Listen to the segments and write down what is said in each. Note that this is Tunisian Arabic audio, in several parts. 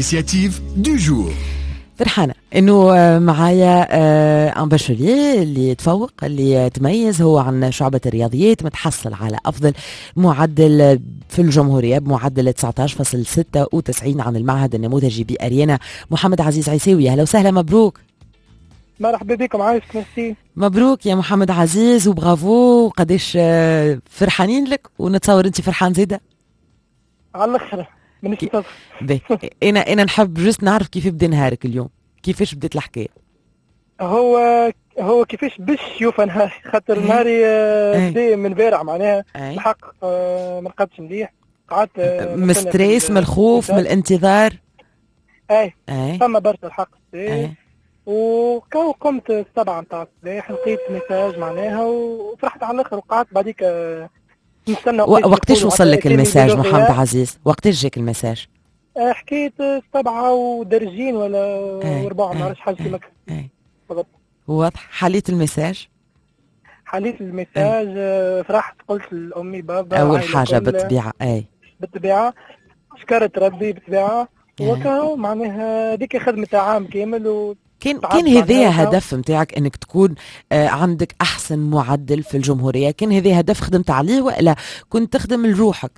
L'initiative du jour. فرحانة انه معايا un bachelier اللي تفوق، اللي تميز، هو عن شعبة الرياضيات، متحصل على افضل معدل في الجمهورية بمعدل 19.96 عن المعهد النموذجي بأريانا، محمد عزيز عيساوي. اهلا وسهلا، مبروك. مرحبا بكم، عايشك، ميرسي. مبروك يا محمد عزيز وبرافو، قداش فرحانين لك، ونتصور انت فرحان زيادة. على الاخر، مانيش. انا نحب juste نعرف كيف بدا نهارك اليوم، كيفاش بدات الحكايه؟ هو هو كيفاش باش يوفى نهاري، خاطر نهاري بدا من البارح معناها. الحق ما رقدتش مليح، قعدت من stress، من الخوف، من الانتظار. اي، فما برشا الحق. وكاو قمت 7 نتاع الصباح، لقيت message معناها وفرحت على الاخر، وقعدت بعديك نستنى. وقتاش وصل لك ال message محمد عزيز؟ وقتاش جاك ال message؟ حكاية 7 ودرجين ولا وربع، ما نعرفش، حاجة كيما. واضح. حليت ال message؟ حليت ال message، فرحت، قلت لأمي، بابا. أول حاجة بالطبيعة، أي. بالطبيعة شكرت ربي بالطبيعة، وكهو معناها هذيك خدمة عام كامل و كان هذا هدف نتاعك انك تكون عندك احسن معدل في الجمهوريه؟ كان هذا هدف خدمت عليه والا كنت تخدم لروحك؟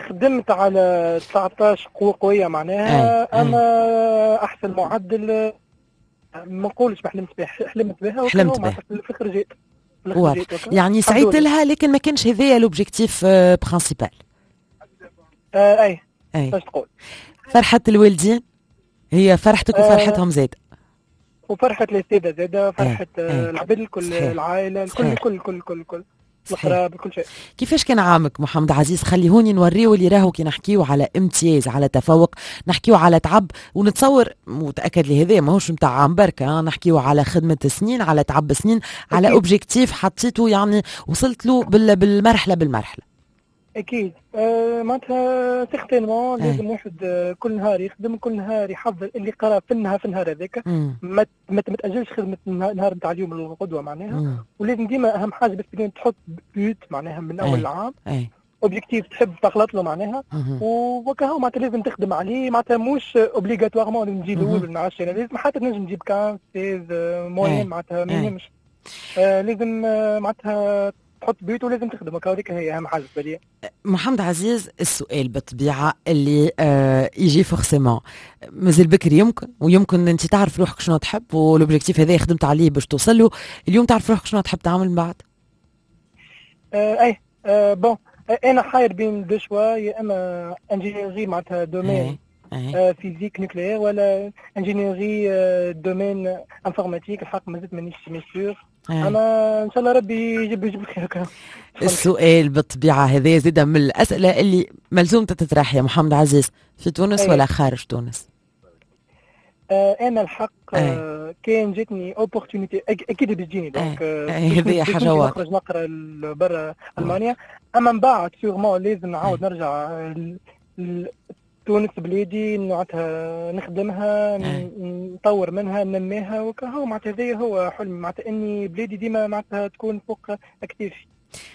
خدمت على 19 قوة قوية معناها. أي. أما أحسن معدل ما نقولش ما حلمت بها، حلمت بها. حلمت بها. في الاخر جيت. يعني سعيت لها، لكن ما كانش هذايا l'objectif principal. اي اي، باش تقول. فرحة الوالدين هي فرحتك وفرحتهم زاد. وفرحة الأساتذة زادة، فرحة العباد الكل، العائلة الكل، الكل الكل الكل الكل، القراب، كل شيء. كيفاش كان عامك محمد عزيز؟ خليهوني نوريو اللي راهو كي نحكيو على امتياز، على تفوق، نحكيو على تعب، ونتصور متاكد لهذا ماهوش نتاع عام بركه، نحكيو على خدمة سنين، على تعب سنين، على objectif حطيته، يعني وصلت له بالمرحلة بالمرحله. اكيد، معناتها certainement لازم واحد كل نهار يخدم، كل نهار يحضر اللي قرا في النهار هذاك، ما تاجلش خدمة النهار نتاع اليوم للغدوه معناها. ولازم ديما اهم حاجة بس تحط but معناها من اول العام، objectif تحب تخلط له معناها، وكهو معناتها لازم تخدم عليه. معناتها مش obligatoirement لازم تجيب الاول ولا نعرفش، لازم حتى تنجم تجيب 15 16 moyenne، معناتها ما يهمش، لازم معناتها تحط but ولازم تخدم، هذيك هي اهم حاجة بالنسبة لي. محمد عزيز، السؤال بالطبيعة اللي يجي forcément، مازال بكري يمكن، ويمكن انت تعرف روحك شنو تحب، و l'objectif هذا خدمت عليه باش توصل له، اليوم تعرف روحك شنو تحب تعمل من بعد؟ اي، bon، انا حاير بين deux choix، يا اما ingénierie معناتها domaine physique nucléaire ولا ingénierie domaine informatique. الحق مازلت مانيش sûr، اما ان شاء الله ربي يجيب الخير. السؤال بالطبيعة هذا زاد من الاسئلة اللي ملزوم تتطرح يا محمد عزيز، في تونس ولا خارج تونس؟ انا الحق كان جاتني opportunité اكيد بتجيني، donc هذه حاجة واضحه. نخرج نقرا برا المانيا، اما من بعد sûrement لازم نعاود نرجع تونس بلادي، معناتها نخدمها، نطور منها، ننميها، وكهو معناتها هذا هو حلمي، معناتها اني بلادي ديما معناتها تكون فوق اكتافي.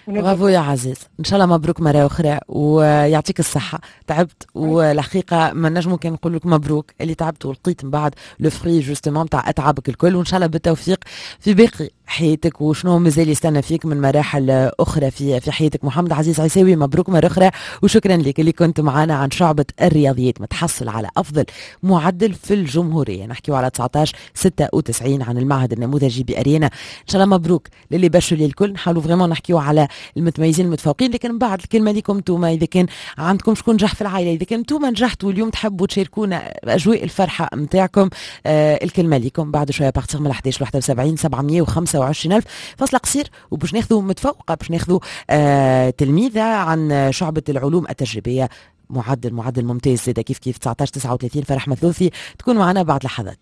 برافو يا عزيز، ان شاء الله مبروك مرة اخرى ويعطيك الصحه. تعبت، والحقيقة ما نجمو كان نقول لك مبروك اللي تعبت ولقيت من بعد le fruit justement تاع اتعابك الكل، وان شاء الله بالتوفيق في باقي حياتك وشنو مازال يستنى فيك من مراحل اخرى في حياتك. محمد عزيز عيساوي، مبروك مرة اخرى وشكرا لك اللي كنت معنا عن شعبه الرياضيات، متحصل على افضل معدل في الجمهوريه، نحكيو على 19 96 عن المعهد النموذجي باريانا. ان شاء الله مبروك للي bacheliers الكل. نحاولوا vraiment نحكيو على المتميزين المتفوقين، لكن من بعد الكلمة لكم انتم، اذا كان عندكم شكون نجح في العائله، اذا كان انتم نجحتوا اليوم تحبوا تشاركونا اجواء الفرحة نتاعكم، الكلمة لكم بعد شوية à partir من 11 71 725 الف. فاصل قصير وباش ناخذوا متفوقه، باش ناخذوا تلميذه عن شعبه العلوم التجريبيه، معدل ممتاز زاد كيف كيف 19 39، فرح مثلوثي تكون معنا بعد لحظات.